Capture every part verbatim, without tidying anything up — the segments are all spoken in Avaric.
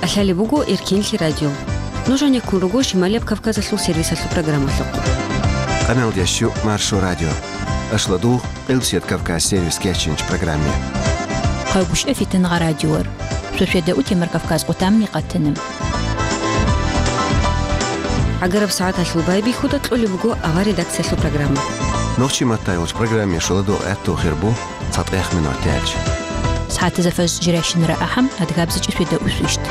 КӀалъалеб буго Эркенлъи радио. Нуж гьанеккун руго Шималияб Кавказалъул сервисалъул программалъухъ. Къаналдящу Маршо радио. Ашладу Къилсият Кавказ сервис кечинч программе. Къайгушев Фитангъа радиор. Шошведа утемар Кавказ къутамни къатанам. ГӀагараб сагӀаталъул байбихьуда кьолеб буго авар редакциялъул программа. Нохчи маттайулч программе шуладу гӀатту хирбу цатӀех минут дялч. СагӀатазафаз жиращинара ахӀам адгабзичӀи шведа усвищт.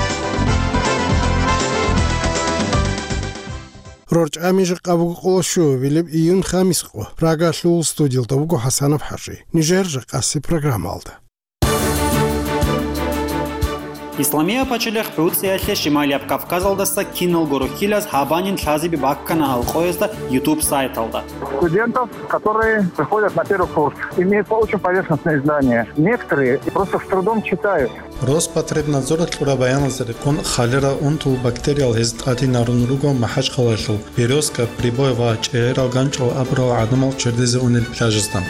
РорчӀами жакъа буго къоло щуабилеб июн хамис къо. Прагалъул студиялда буго ХӀасанов ХӀажи. Нижер жакъаси программалда. Исламия пачалихъ ГӀуцӀиялъе Шималияб Кавказалдаса киналго рухьилаз гьабанин лъазеби баккана гьалкъоязда YouTube сайталда. Студентов, которые приходят на первый курс, имеют очень поверхностные знания. Некоторые просто с трудом читают. Роспотребнадзоралъ кьураб баяналда рекъон халира унтул бактериял гьез тӀадинарун руго МахӀачхъалаялъул Березка, Прибой ва ЧӀегӀерал ганчӀал абурал гӀадамал чердезе унел пляжазда.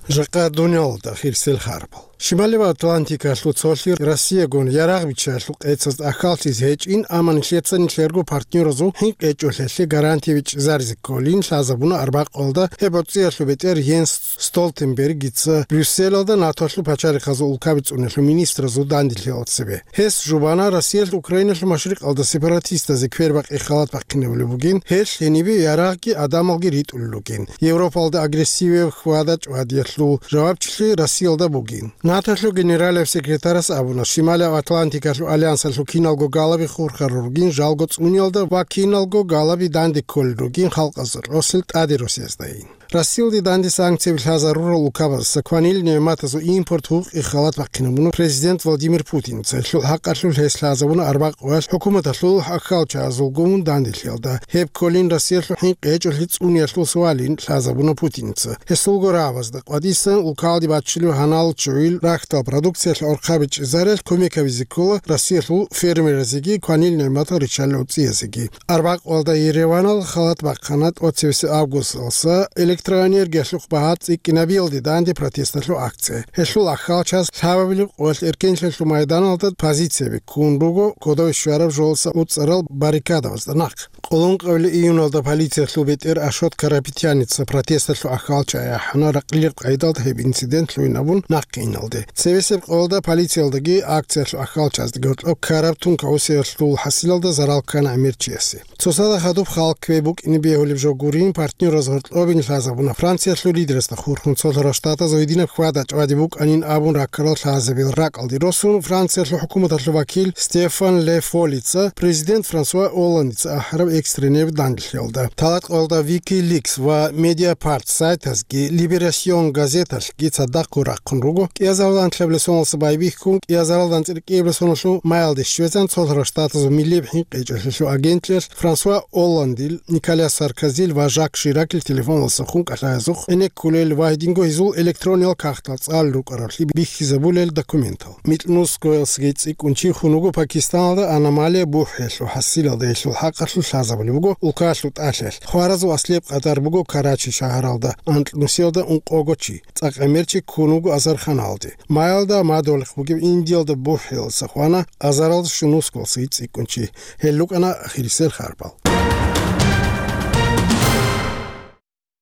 Жакъа дуниялалда хирсел харбал. Шималив Атлантикалъул цолъи Россиягун ярагъ биччаялъул къецазда ахьаллъизе гьечӀин, амма нилъеца нилъерго партнеразул хӀинкъи гьечӀолъиялъе гарантия бичӀчӀизаризе кколин лъазабуна арбякъалда гьеб гӀуцӀиялъул бетӀер Йенс Столтенбергица Брюсселалда НАТОлъул пачалихъазул улкаби цӀуниялъул министразул данделъиялда цебе. Гьес жубана Россиялъ Украиналъул машрикъалда сепаратистазе квербакъи халат бахъинабулеб бугин, гьелъ гьенибе ярагъги гӀадамалги ритӀулел ругин. Европалда агрессивияб хьвада-чӀвадиялъул жавабчилъи Россиялда бугин. НАТОлъул генералияб секретарас абуна, Шималияб Атлантикалъул альянсалъул киналго галаби хурхарал ругин жалго цӀуниялда ва киналго галаби данде кколел ругин халкъазда кьосел тӀаде росияздаин. Россиялде данде санкцияби лъазарурал улкабазаса кванил нигӀматазул импорт гьукъи халат бахъинабуна президент Владимир Путинца. Гьелъул хӀакъалъулъ гьес лъазабуна арбякъоялъ хӀукуматалъул ахьалчагӀазулгун данделъиялда. Гьеб кколин Россиялъул хӀинкъи гьечӀолъи цӀуниялъул сувалин лъазабуна Путинца. Гьесулго рагӀабазда къватӀисан улкалде баччулев гьанал чугӀил рахьдал продукциялъ гӀорхъа бичӀчӀизарелъ кумек гьабизе ккола Россиялъул фермерзеги кванил нигӀматал риччалел гӀуцӀиязеги. Арбякъалда Ереванал халат бахъана тӀоцебесеб августалса электроэнергиялъухъ багьа цӀикӀкӀинабиялде данде протесталъул акция. Гьелъул ахьалчагӀаз лъабабилеб къоялъ Эркенлъиялъул майданалда позицияби ккун руго кодове щвараб жолса уцӀарал баррикадабазда нахъ. Къоло ункъабилеб июналда полициялъул бетӀер Ашот Карапетяница протесталъул ахьалчагӀи ахӀана ракълилеб къайдалда гьеб инцидент лъугӀин абун нахъе иналде. Цебесеб къоялда полициялдаги акциялъул ахьалчагӀаздаги гьоркьоб ккараб тункаусиялъул хӀасилалда зарал ккана гӀемер чиясе. Цоцазда хадуб халкъ кквей букӀине бегьулеб жо гурин, партнераз гьоркьобин лъазабуна. Франциялъул лидерасда хурхун цолъарал штатазул гьединаб хьвада-чӀвади букӀанин абун раккарал лъазабил ракӀалде росун, Франциялъул хӀукуматалъул вакил Стефан Ле Фолица президент Франсуа Олландица ахӀараб экстренеб данделъиялда. Талакъалда Вики Ликс ва Медиапарт сайтазги Либерасьон газеталъ ги цадахъго рахъун руго, кӀиазаралдалъ лъабилеб соналъ байбихьун, кӀиазаралдалъ цӀикӀкӀинаблъун майялде щвезан цолъарал штатазул миллияб хӀинкъи гьечӀолъиялъул агентлъиялъ Франсуа Олландил, Николя Саркозил ва Жак Ширакил телефоналдаса хун кӀалъаязухъ гӀенеккулел ва гьединго гьезул электрониял кагътал цӀалел рукӀараллъи бихьизабулел документал. Микьнусгоялдасаги цӀикӀкӀун чи хун вуго Пакистаналда аномалия бухӀиялъул хӀасилалда, гьелъул хӀакъалъулъ лъазабулеб буго улкаялъул тӀалъаялъ. Хваразул аслияб къадар буго Карачи шагьаралда, анкьнусиялда ункъого чи. ЦӀакъ гӀемер чи ккун вуго азарханалде. Майялда мадугьалихъ бугеб Индиялда бухӀиялдаса хвана азаралда щунусгоялдасаги цӀикӀкӀун чи. Гьел рукӀана ахирисел харбал.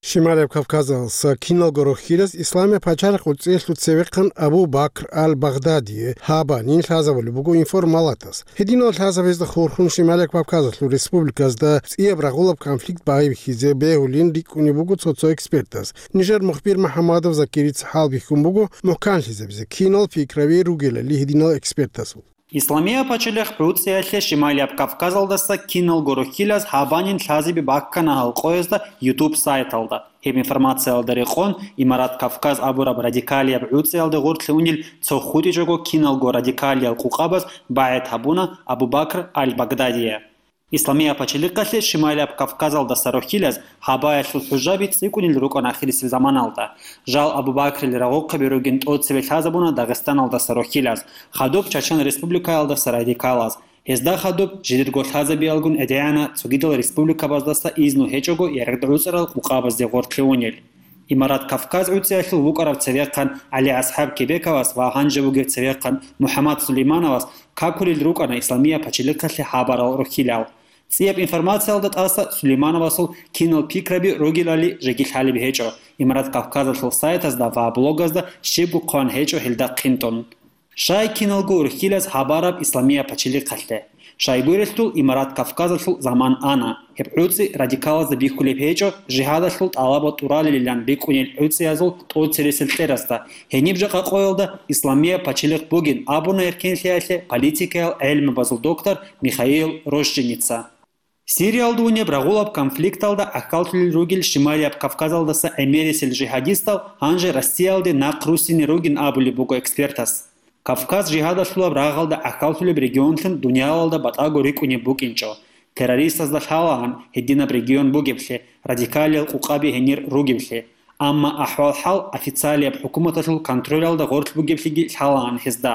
Шималияб Кавказалдаса киналго рохьилаз Исламияб пачалихъ гӀуцӀиялъул цевехъан Абу Бакр аль-Багъдадие гьабанин лъазабулеб буго информалатас. Гьединал лъазабазда хурхун Шималияб Кавказалъул республиказда цӀияб рагъулаб конфликт байбихьизе бегьулин рикӀкӀунеб буго цо-цо экспертаз. Нижер мухбир МухӀаммадов Закирица хӀалбихьун буго мухӀканлъизабизе кинал пикраби ругелали гьединал экспертазул. Исламияб пачалихъ ГӀуцӀиялъе Шималияб Кавказалдаса киналго рохьилаз гьабанин лъазеби баккана гьалкъоязда YouTube сайталда. Гьеб информациялда рекъон Имарат Кавказ абураб радикалияб гӀуцӀиялде гъорлъе унел цо хутӀичӀого киналго радикалиял къукъабаз багӀет гьабуна Абу Бакр аль-Багдадие. Исламияб пачалихъалъе Шималияб Кавказалдаса рохьилаз гьабаялъул хӀужаби цӀикӀкӀунел рукӀана ахирисеб заманалда. Жал Абу Бакрил рагъухъаби ругин тӀоцебе лъазабуна Дагъистаналдаса рохьилаз, хадуб Чачан Республикаялдаса радикалаз. Гьезда хадуб жидерго лъазабиялгун гӀедегӀана цогидал республикабаздаса изну гьечӀого ярагъ гӀуцӀарал къукъабазде гъорлъе унел. Имарат Кавказ гӀуцӀиялъул вукӀарав цевехъан ГӀали-АсхӀаб Кебековас ва гьанже вугев цевехъан МухӀаммад Сулеймановас какулел рукӀана Исламияб пачалихъалъе гьабарал рохьилал. ЦӀияб информациялда тӀаса Сулеймановасул кинал пикраби ругелали жеги лъалеб гьечӀо, Имарат Кавказалъул сайтазда ва блогазда щибго хъван гьечӀо гьелда хъинтӀун. Щай киналго урхьилаз гьабараб Исламияб пачалихъалъе? Щайгурелъул Имарат Кавказалъул заман ана. Гьеб гӀуцӀи радикалазда бихьулеб гьечӀо, жигьадалъул тӀалаба тӀуралилилан бикӀунел гӀуцӀиязул тӀоцересел кьерасда. Гьениб жакъа къоялда Исламияб пачалихъ бугин абуна эркенлъиялъе политикаял гӀелмабазул доктор Михаил Рощиница. Сириялда унеб рагъулаб конфликталда гӀахьаллъулел ругел Шималияб Кавказалдаса гӀемерисел жигьадистал гьанже Россиялде нахъ руссине ругин абулеб буго экспертас. Кавказ жигьадалъулаб рагъалда гӀахьаллъулеб регионлъун дуниялалда батӀаго рикӀкӀунеб букӀинчӀо, террористазда лъалаан гьединаб регион бугеблъи, радикалиял къукъаби гьенир ругеблъи, амма ахӀвал-хӀал официалияб хӀукуматалъул контролялда гъорлъ бугеблъиги лъалаан гьезда.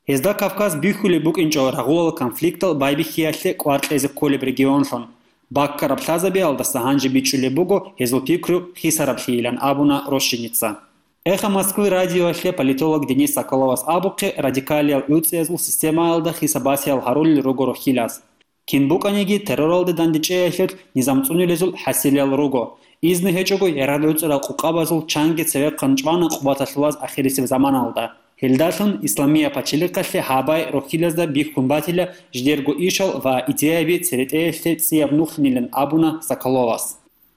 Гьезда Кавказ бихьулеб букӀинчӀо рагъулал конфликтал байбихьиялъе кӀвар кьезе кколеб регионлъун. Баккараб лъазабиялдаса гьанже бичӀчӀулеб буго гьезул пикру хисараблъийилан абуна Рощиница. Эхо Москвы радиоялъе политолог Денис Соколовас абухъе радикалиял гӀуцӀиязул системаялда хисабасиял гьарулел руго рохьилаз. Кин букӀаниги терроралде дандечӀеялъул низам цӀунулезул хӀасилиял руго. Изну гьечӀого ярагъ гӀуцӀарал къукъабазул чанги цевехъан чӀвана къуваталъулаз ахирисеб заманалда. Гьелдалъун Исламияб пачалихъалъе гьабай рохьилазда бихьун батила жидерго ишал ва идеяби церетӀеялъе цӀияб нухлъинилан абуна Соколовас.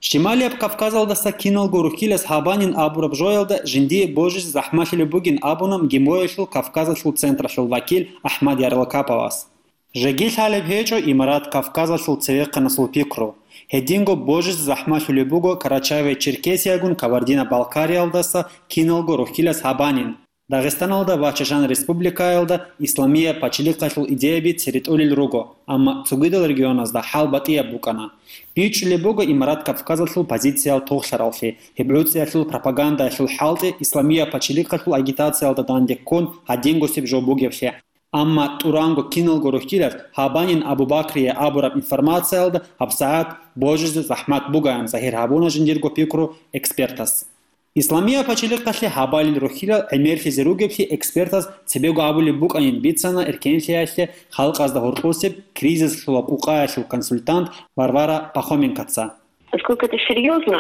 Шималияб Кавказалдаса киналго рохьилаз гьабанин абураб жоялда жиндие божизе захӀмалъулеб бугин абуна МГИМО-ялъул Кавказалъул централъул вакил АхӀмад Ярлакаповас. Жеги лъалеб гьечӀо Имарат Кавказалъул цевехъанасул пикру. Гьединго божизе захӀмалъулеб буго Карачаево-Черкесиягун Кабардино-Балкариялдаса киналго рохьилаз гьабанин. Дагъистаналда ва Чачан Республикаялда Исламияб пачалихъалъул идеяби церетӀолел руго, амма цогидал регионазда хӀал батӀияб букӀана. БичӀчӀулеб буго Имарат Кавказалъул позициял тохлъараллъи, гьеб гӀуцӀиялъул пропагандаялъул хӀалтӀи Исламияб пачалихъалъул агитациялда данде ккун гьадингосеб жо бугеблъи. Амма тӀуранго киналго рохьилаз гьабанин Абу-Бакрие абураб информациялда гьабсагӀат божизе захӀмат бугоян загьир гьабуна жиндирго пикру экспертас. Исламияб пачалихъалъе гьабалел рохьилал гӀемерлъизе ругеблъи экспертас цебего абулеб букӀанин бицана эркенлъиялъе халкъазда гьоркьосеб кризислъула къукъаялъул консультант Варвара Пахоменкоца. Насколько это серьёзно,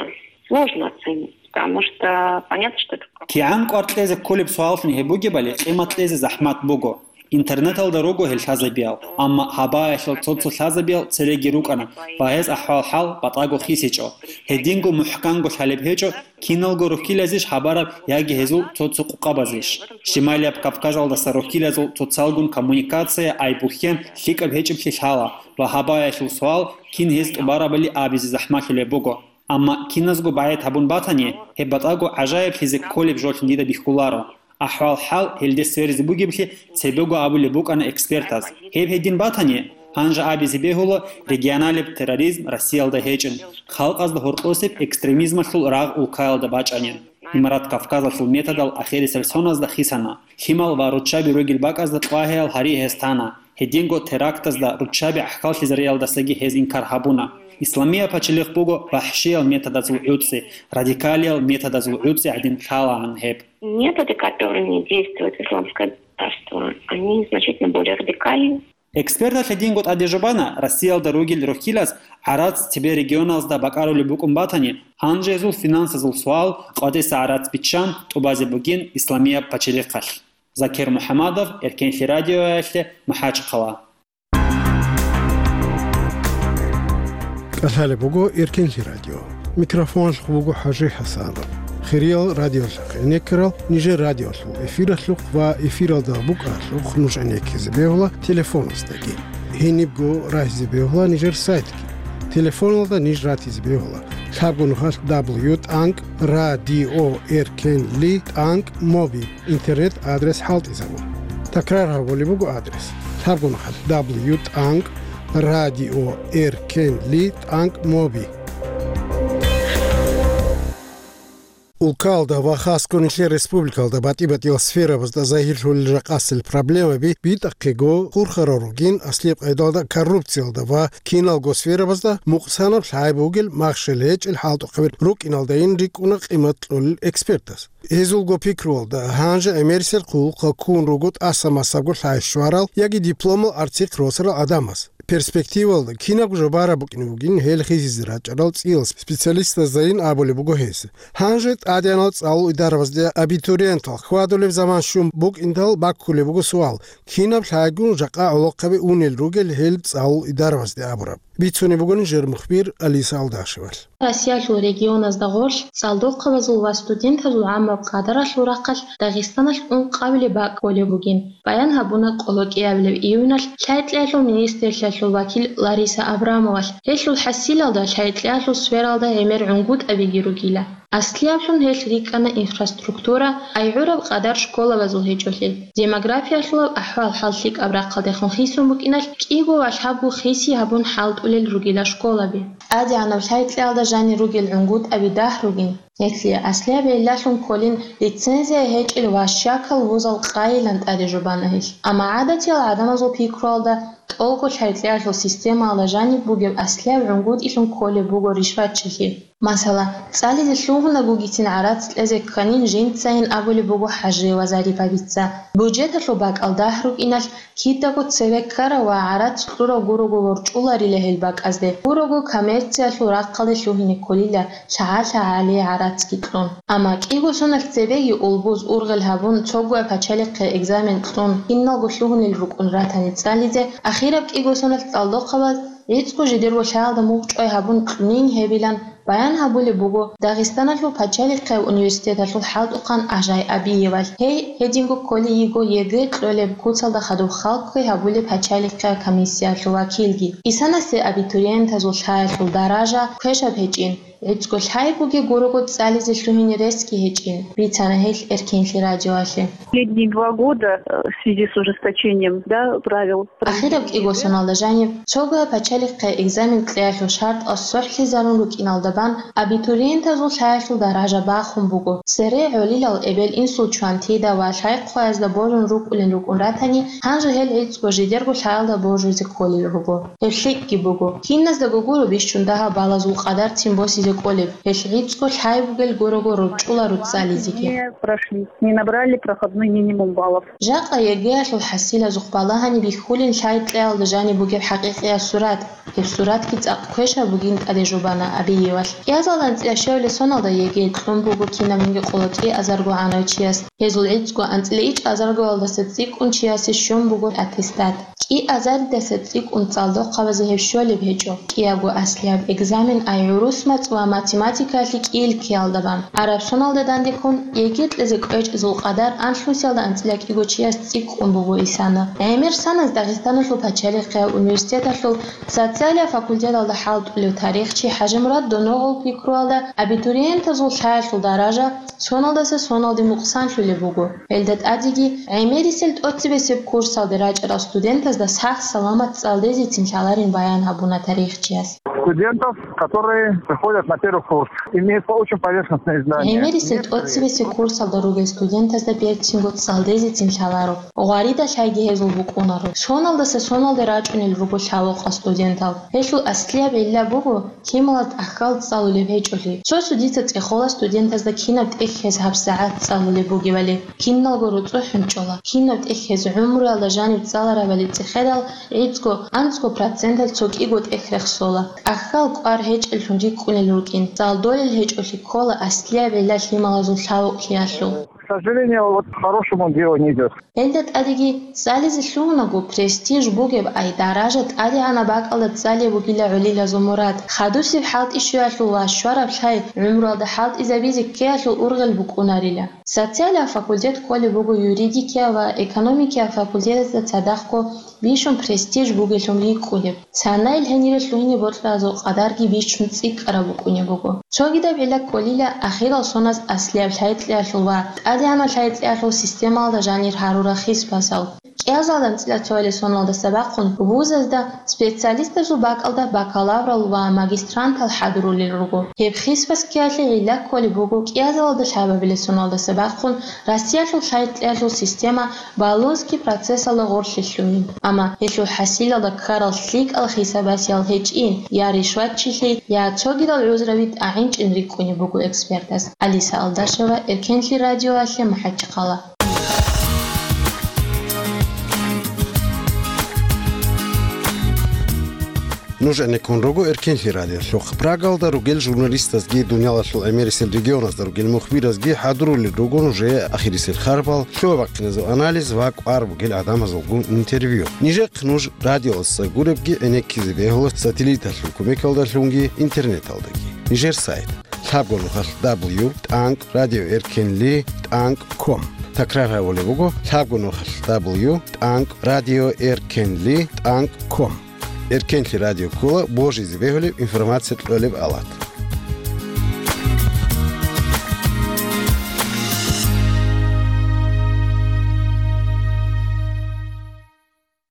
сложно оценить, потому что понятно, что это... КигӀан кӀвар кьезе кколеб суаллъун гьеб бугебали къимат кьезе захӀмат буго. Интернеталда руго гьел лъазабиял, амма гьабаялъул цо-цо лъазабиял цереги рукӀана ва гьез ахӀвал-хӀал батӀаго хисичӀо. Гьединго мухӀканго лъалеб гьечӀо, киналго рохьилазищ гьабараб яги гьезул цо-цо къукъабазищ. Шималияб Кавказалдаса рохьилазул цоцалгун коммуникация айбухьен лъикӀаб гьечӀеблъи лъала ва гьабаялъул суал кин гьез тӀубарабали абизе захӀмалъулеб буго. Амма киназго багӀед гьабун батани, гьеб батӀаго гӀажаиблъизе кколеб жолъун дида бихьуларо. АхӀвал-хӀал гьелде сверизе бугеблъи цебего абулеб букӀана экспертаз. Гьеб гьедин батани, гьанже абизе бегьула регионалеб терроризм Россиялда гьечӀин, халкъазда гьоркьосеб экстремизмалъул рагъ улкаялда бачӀанин. Имарат Кавказалъул методал ахирисел соназда хисана. Лъимал ва руччаби ругел бакӀазда тӀлагьеял гьари гьез тана. Гьединго терактазда руччаби гӀахьаллъизариялдасаги гьез инкар гьабуна. Исламияб пачалихъ буго вахӀшиял методазул гӀуцӀи, радикалиял методазул гӀуцӀи гӀадин лъалаан гьеб. Методы, которыми действует исламское государство, они значительно более радикальны. Эксперталъ гьединго тӀаде жубана, Россиялда ругел рохьилаз гӀарац цебе регионазда бакӀарулеб букӀун батани, гьанже гьезул финансазул суал къватӀиса гӀарац биччан тӀубазе бугин Исламияб пачалихъалъ. Закир МухӀамадов, Эркенлъи радиоялъе, МахӀачхъала. КӀалъалеб буго Эркенлъи радио. Микрофоналъухъ буго ХӀажи ХӀасанов. Хириял радиолъахъ гӀенеккарал нижер радиолъул эфиралъухъ ва эфиралда букӀаралъухъ нуж гӀенеккизе бегьула телефоназдаги. Гьенибго рагьизе бегьула нижер сайтги. Телефоналда ниж ратизе бегьула лъабго нухалъ дабл ю тӀанкӀ радио эркенли тӀанкӀ моби интернет адрес хӀалтӀизабун. Такрар гьабулеб буго адрес: лъабго нухалъ дабл ю тӀанкӀ радио эркенли тӀанкӀ моби. Улкалда ва хасго нилъер республикалда батӀи-батӀиял сферабазда загьирлъулел жакъасел проблемаби битӀахъего хурхарал ругин, аслияб къайдалда коррупциялда ва киналго сферабазда мукъсанаб лъай бугел махщел гьечӀел хӀалтӀухъаби рукӀиналдайин рикӀкӀуна къимат кьолел экспертаз. Гьезулго пикруялда, гьанже гӀемерисел хъулухъа ккун руго тӀаса-масабго лъай щварал яги дипломал арцихъ росарал гӀадамаз. Перспективалда кинабго жо бараб букӀине бугин гьел хисизе рачӀарал цӀиял специалистаздайин абулеб буго гьес. Гьанже тӀадегӀанал цӀалул идарабазде абитуриентал хьвадулеб заман щун букӀиндал баккулеб буго суал, кинаб лъайгун жакъа гӀолохъаби унел ругел гьел цӀалул идарабазде абураб. Бицунеб буго нижер мухбир Алиса Алдашевалъ. Россиялъул регионазда гъорлъ цӀалдохъабазул ва студентазул гӀаммаб къадаралъул рахъалъ Дагъистаналъ ункъабилеб бакӀ кколеб бугин. Баян гьабуна къоло кӀиабилеб июналъ лъай-кьеялъул министрлъиялъул вакил Лариса Абрамовалъ. Гьелъул хӀасилалда лъай-кьеялъул сфералда гӀемер гӀунгутӀабиги ругила. Аслияблъун гьелъ рикӀкӀана инфраструктура, ай гӀураб къадар школабазул гьечӀолъи, демографиялъулаб ахӀвал-хӀал лъикӀаб рахъалдехун хисун букӀиналъ, кӀиго ва лъабго хиси гьабун хӀалтӀулел ругила школаби. ТӀадегӀанаб лъай-кьеялда жанир ругел гӀунгутӀаби дагь ругин. Гьелъие аслияб гӀиллалъун кколин лицензия гьечӀел ва щакал вузал къайилан тӀаде жубана гьелъ. Амма гӀадатиял гӀадамазул пикруялда, тӀолго лъай-кьеялъул системаялда жаниб бугеб аслияб гӀунгутӀилъун кколеб буго ришватчилъи. Масала, цӀализе лъугьунагугицин гӀарац кьезе кканин жинцайин абулеб буго ХӀажиева Зарипабица. Буджеталъул бакӀал дагь рукӀиналъ, кидаго цеве ккарав ва гӀарац кьурав гурого ворчӀуларила гьел бакӀазде, гурого коммерциялъул рахъалде лъугьине кколила лъагӀа-лъагӀалие гӀарацги кьун. Амма кӀиго соналъ цебеги улбуз ургъел гьабун, цогояб пачалихъе экзамен кьун, киналго лъугьунел рукӀун ратани цӀализе, ахираб кӀиго соналъ цӀалдохъабаз гӀицӀго жидерго лъаялда мухӀчӀвай гьабун кьунин гьебилан баян гьабулеб буго Дагъистаналъул пачалихъияб университеталъул хӀалтӀухъан Ажай Абиевалъ. Гьей гьединго кколей йиго ЕГЭ кьолеб куцалда хадуб халкъги гьабулеб пачалихъияб комиссиялъул вакилги. Исанасе абитуриентазул лъаялъул даража квешаб гьечӀин, гӀицӀго лъай бугеб гурого цӀализе лъугьине ресги гьечӀин, бицана гьелъ Эркенлъи радиоялъе. Последние два года, э, в связи с ужесточением, да, правил Ахираб кӀиго соналда жаниб, цогояб пачалихъе экзамен кьеялъул шартӀал сохӀлъизарун рукӀиналда бан, абитуриентазул лъаялъул даража бахун буго. Цере гӀолилал эбел-инсул чвантида ва лъай-хъваязда божун рукӀулин рукӀун ратани, гьанже гьел гӀицӀго жидерго лъаялда божизе кколел руго. Гьеб лъикӀги буго. Киназдаго гуро бищун дагьаб балазул къадарцин босизе кӀолеб, гьелъ гӀицӀго лъай бугел гурого рорчӀула руцӀцӀализеги. Не прошли, не набрали проходной минимум баллов. Жакъа ЕГЭ-ялъул хӀасилазухъ балагьани бихьулин лъай-кьеялда жаниб бугеб хӀакъикъияб сурат. Гьеб суратги цӀакъ квешаб бугин тӀаде жубана Абиевалъ. КӀиазалда анцӀила щевле соналда ЕГЭ кьун буго кинабниги къоло кӀиазарго гӀанав чияс. Гьезул гӀицӀго анцӀила ичӀазаргоялдаса цӀикӀкӀун чиясе щун буго аттестат. КӀиазаридаса цӀикӀкӀун цӀалдохъабазе гьеб щолеб гьечӀо. КӀиябго аслияб экзамен ай гӀурус мацӀ ва математикаялъе кӀиил ккеялда бан. Араб соналда дандеккун, ЕГЭ кьезе кӀвечӀезул къадар анлънусиялда анцӀила кӀиго чияс цӀикӀкӀун буго Исана. ГӀемер саназ Дагъистаналъул пачалихъияб университеталъул социалияб факультеталда хӀалтӀулев тарихчи ХӀажимурад Доногъул пикруялда, абитуриентазул лъаялъул даража соналдаса соналде мукъсанлъулеб буго. Гьелда тӀадеги гӀемерисел тӀоцебесеб курсалде рачӀарал студентазда сах-саламат цӀалдезецин лъаларин баян гьабуна тарихчияс. Студентов, которые приходят на первый курс, имеют очень поверхностные знания. ГӀемерисел тӀоцебесеб курсалда ругел студентазда берцинго цӀалдезецин лъаларо. Гъварида лъайги гьезул букӀунаро. Соналдаса соналде рачӀунел руго лъабокъал студентал. Гьелъул аслияб гӀилла буго, лъималаз тӀахьал цӀалулеб гьечӀолъи. Цо-цо дица цӀехола студентазда кинаб тӀехь гьез гьабсагӀат цӀалулеб бугебали. Киналго руцӀцӀухӀун чӀола. Кинаб тӀехь гьез гӀумруялда жаниб цӀаларабали цӀехедал, гӀицӀго, анцӀго проценталъ цо кӀиго тӀехь рехсола. ТӀахьал кӀвар гьечӀеллъун рикӀкӀунел рукӀин. ЦӀалдолел гьечӀолъи ккола аслияб гӀилла лъималазул лъабокълъиялъул. К сожалению, вот к хорошему делу не идёт. Гьелда тӀадеги цӀализе лъугьунаго престиж бугеб ай даража тӀадегӀанаб бакӀалда цӀалеб бугила гӀолилазул мурад. Хадусеб хӀалтӀи щвеялъул ва щвараб лъай гӀумруялда хӀалтӀизабизе ккеялъул ургъел букӀунарила. Социалияб факультет кколеб буго юридикияб ва экономикияб факультетазда цадахъго бищун престиж бугеллъун рикӀкӀунеб. Цанайил гьенире лъугьине бокьаразул къадарги бищун цӀикӀкӀараб букӀунеб буго. Цогидаб гӀилла кколила ахирал соназ аслияб лъай-кьеялъул ва тӀад ГӀадамал лъай-кьеялъул системалда жанир гьарурал хисбазал. КӀиазалда анцӀила цоялъул соналдаса бахъун вузазда специалистазул бакӀалда бакалаврал ва магистрантал хӀадурулел руго. Гьеб хисбаз ккеялъе гӀилла кколеб буго кӀиазалда лъабабилеб соналдаса бахъун Россиялъул лъай-кьеялъул система Болонский процессалда гъорлъе лъугьин. Амма гьелъул хӀасилалда ккарал лъикӀал хисабасиял гьечӀин, я ришватчилъи, я цогидал гӀузраби тӀагӀинчӀин рикӀкӀунеб буго экспертаз. Алиса Алдашева, Эркенлъи радиоялъе, МахӀачхъала. Нуж гӀенеккун руго Эркенлъи радиолъухъ. Прагалда ругел журналистазги, дуниялалъул гӀемерисел регионазда ругел мухбиразги хӀадурулел руго нужее ахирисел харбал, лъугьа-бахъиназул анализ ва кӀвар бугел гӀадамазулгун интервью. Нижехъ нуж радиоялдаса гуребги гӀенеккизе бегьула сателлиталъул кумекалдалъунги интернеталдаги. Нижер сайт: лъабго нухалъ дабл ю тӀанкӀ радио эркенли тӀанкӀ ком. Такрар гьабулеб буго: лъабго нухалъ дабл ю тӀанкӀ радио эркенли тӀанкӀ ком. Эркенлъи радио ккола божизе бегьулеб информация кьолеб алат.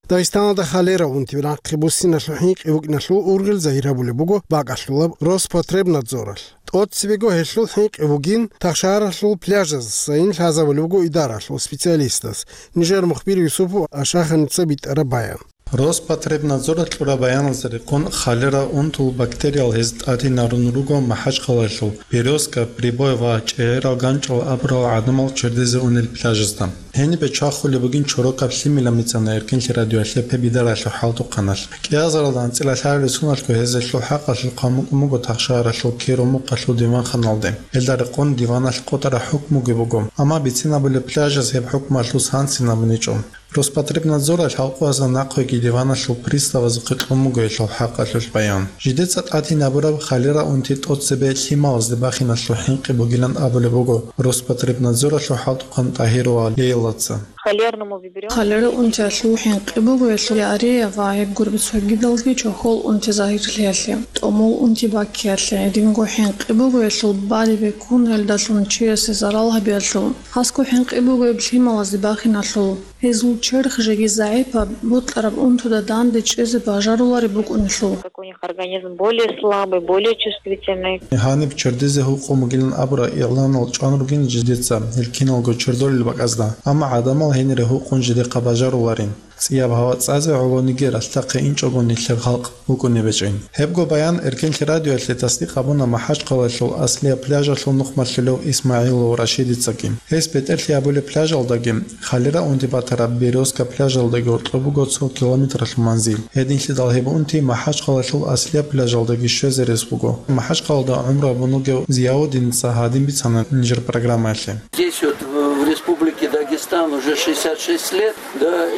Дагъистаналда холера унти нахъе буссиналъул хӀинкъи букӀиналъул ургъел загьир гьабулеб буго бакӀалъулаб Роспотребнадзоралъ. ТӀоцебего гьелъул хӀинкъи бугин тахшагьаралъул пляжаздасайин лъазабулеб буго идараялъул специалистаз. Нижер мухбир Юсупов Ашаханица битӀараб баян. Роспотребнадзоралъ кьураб баяналда рекъон, холера унтул бактериял гьез тӀадинарун руго МахӀачхъалаялъул Березка, Прибой ва ЧӀегӀерал ганчӀал абурал гӀадамал чердезе унел пляжазда. Гьенибе чвахулеб бугин чорокаб лъимилан бицана Эркенлъи радиоялъе гьеб идараялъул хӀалтӀухъаналъ. КӀиазаралда анцӀила лъаралел соналъго гьез гьелъул хӀакъалъулъ хъван букӀун буго тахшагьаралъул Киро-Мукъалъул диванханалде. Гьелда рекъон диваналъ къотӀараб хӀукмуги буго, амма бицинабулеб пляжаз гьеб хӀукмуялъул санкци абуничӀо. Роспотребнадзоралъ гьалкъугьазда нахъеги диваналъул приставазухъе кьун буго гьелъул хӀакъалъулъ баян. Жидеца тӀадин гьабураб холера унти тӀоцебе лъималазде бахиналъул хӀинкъи бугилан абулеб буго Роспотребнадзоралъул хӀалтӀухъан ТӀагьирова Лейлаца. Холерному вибрион. Холера унтиялъул хӀинкъи буго гьелъул диарея ва гьеб гуреб цогидалги чохьол унти загьирлъиялъе, тӀомул унти баккиялъе, гьединго хӀинкъи буго гьелъул балеб бекун гьелдалъун чиясе зарал гьабиялъул. Хасго хӀинкъи буго гьеб лъималазде бахиналъул. Гьезул черх жеги загӀипаб, бокьараб унтуда данде чӀезе бажарулареб букӀунелъул. Как у них организм более слабый, более чувствительный. Гьаниб чердезе гьукъун бугилан абураб игъланал чӀван ругин жидеца гьел киналго чердолел бакӀазда, амма гӀадамал гьенире гьукъун жидехъа бажаруларин. ЦӀияб гьава цӀазе гӀолониги ралъдахъе инчӀого нилъер халкъ букӀунеб гьечӀин. Гьебго баян Эркенлъи радиоялъе тасдикъ гьабуна МахӀачхъалаялъул аслияб пляжалъул нухмалъулев ИсмагӀилов Рашидицаги. Гьес бетӀерлъи гьабулеб пляжалдаги, холера унти батараб Березка пляжалдаги гьоркьоб буго цо километралъул манзил. Гьединлъидал гьеб унти МахӀачхъалаялъул аслияб пляжалдаги щвезе рес буго. МахӀачхъалаялда гӀумру гьабун вугев Зияудиница гьадин бицана нижер программаялъе. Здесь вот в, в Республике Дагестан уже шестьдесят шесть лет.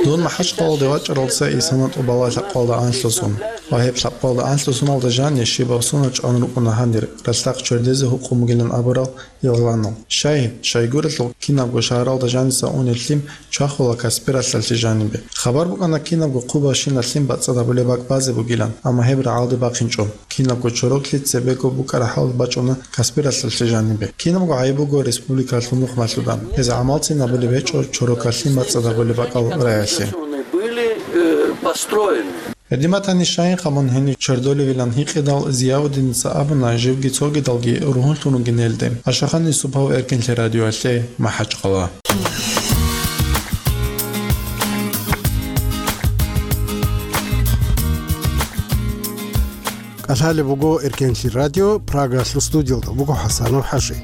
Дун МахӀачхъалаялде вачӀаралдаса исана тӀубала лъабкъоялда анлъусун. Ва гьеб лъабкъоялда анлъусуналда жаниб щибаб сунат чӀван рукӀуна гьанир, ралъдахъ чердезе гьукъун бугилан абурал игъланал. Щай, щайгурелъул кинабго шагьаралда жаниса унел лъим чвахула Каспи ралъдалъе жанибе. Хабар букӀана кинабго хъубабщинаб лъим бацӀцӀад гьабулеб бакӀ базе бугилан, амма гьеб рагӀалде бахинчӀо. Кинабго чороклъи цебего букӀараб хӀал бачӀуна Каспи ралъдалъе жанибе. Кинабго гӀайиб буго республикалъул нухмалъуда. Гьез гӀамалцин абулеб гьечӀо чорокалъи бацӀцӀад гьабулеб бакӀал раялъе. Были, э, построены. Гьедин батани, щайин хъамун гьенив чердолевилан гьикъидал, Зияудиница абуна, живги цогидалги ругьунлъун ругин гьелде. Ашахан Юсупов, Эркенлъи радиоялъе, МахӀачхъала. КӀалъалеб буго Эркенлъи радио, Прагалъул студиялда буго ХӀасанов ХӀажи.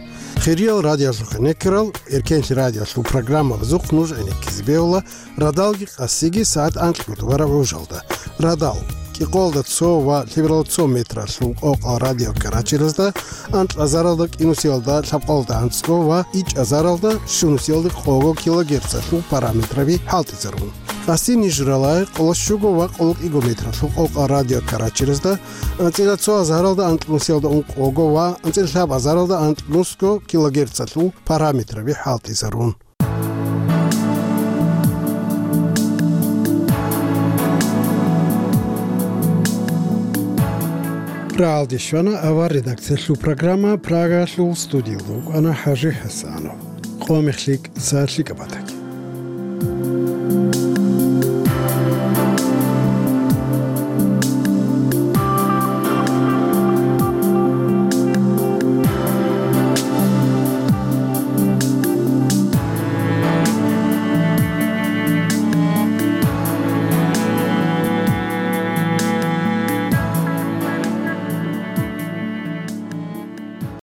Хириял радиоялъухъ гӀенеккарал, Эркенлъи радиоялъул программабазухъ нуж гӀенеккизе бегьула радалги къасиги сагӀат анкьго тӀубараб гӀужалда. Радал: кӀикъоялда цо ва лъебералда цо метралъул къокъал радиокаратеразда, анкьазаралда кӀинусиялда лъабкъоялда анцӀго ва ичӀазаралда щунусиялда къого килогерцалъул параметраби хӀалтӀизарун. Къаси ниж рала къоло щуго ва къоло кӀиго метралъул къокъал радиокаратеразда, анцӀила цо азаралда анкьнусиялда ункъого ва анцӀила лъабазаралда анкьнусго килогерцалъул параметраби хӀалтӀизарун. Рагьалде щвана авар редакциялъул программа, Прагалъул студиялда вукӀана ХӀажи ХӀасанов. Къо мех лъикӀ, са лъикӀаб батаги.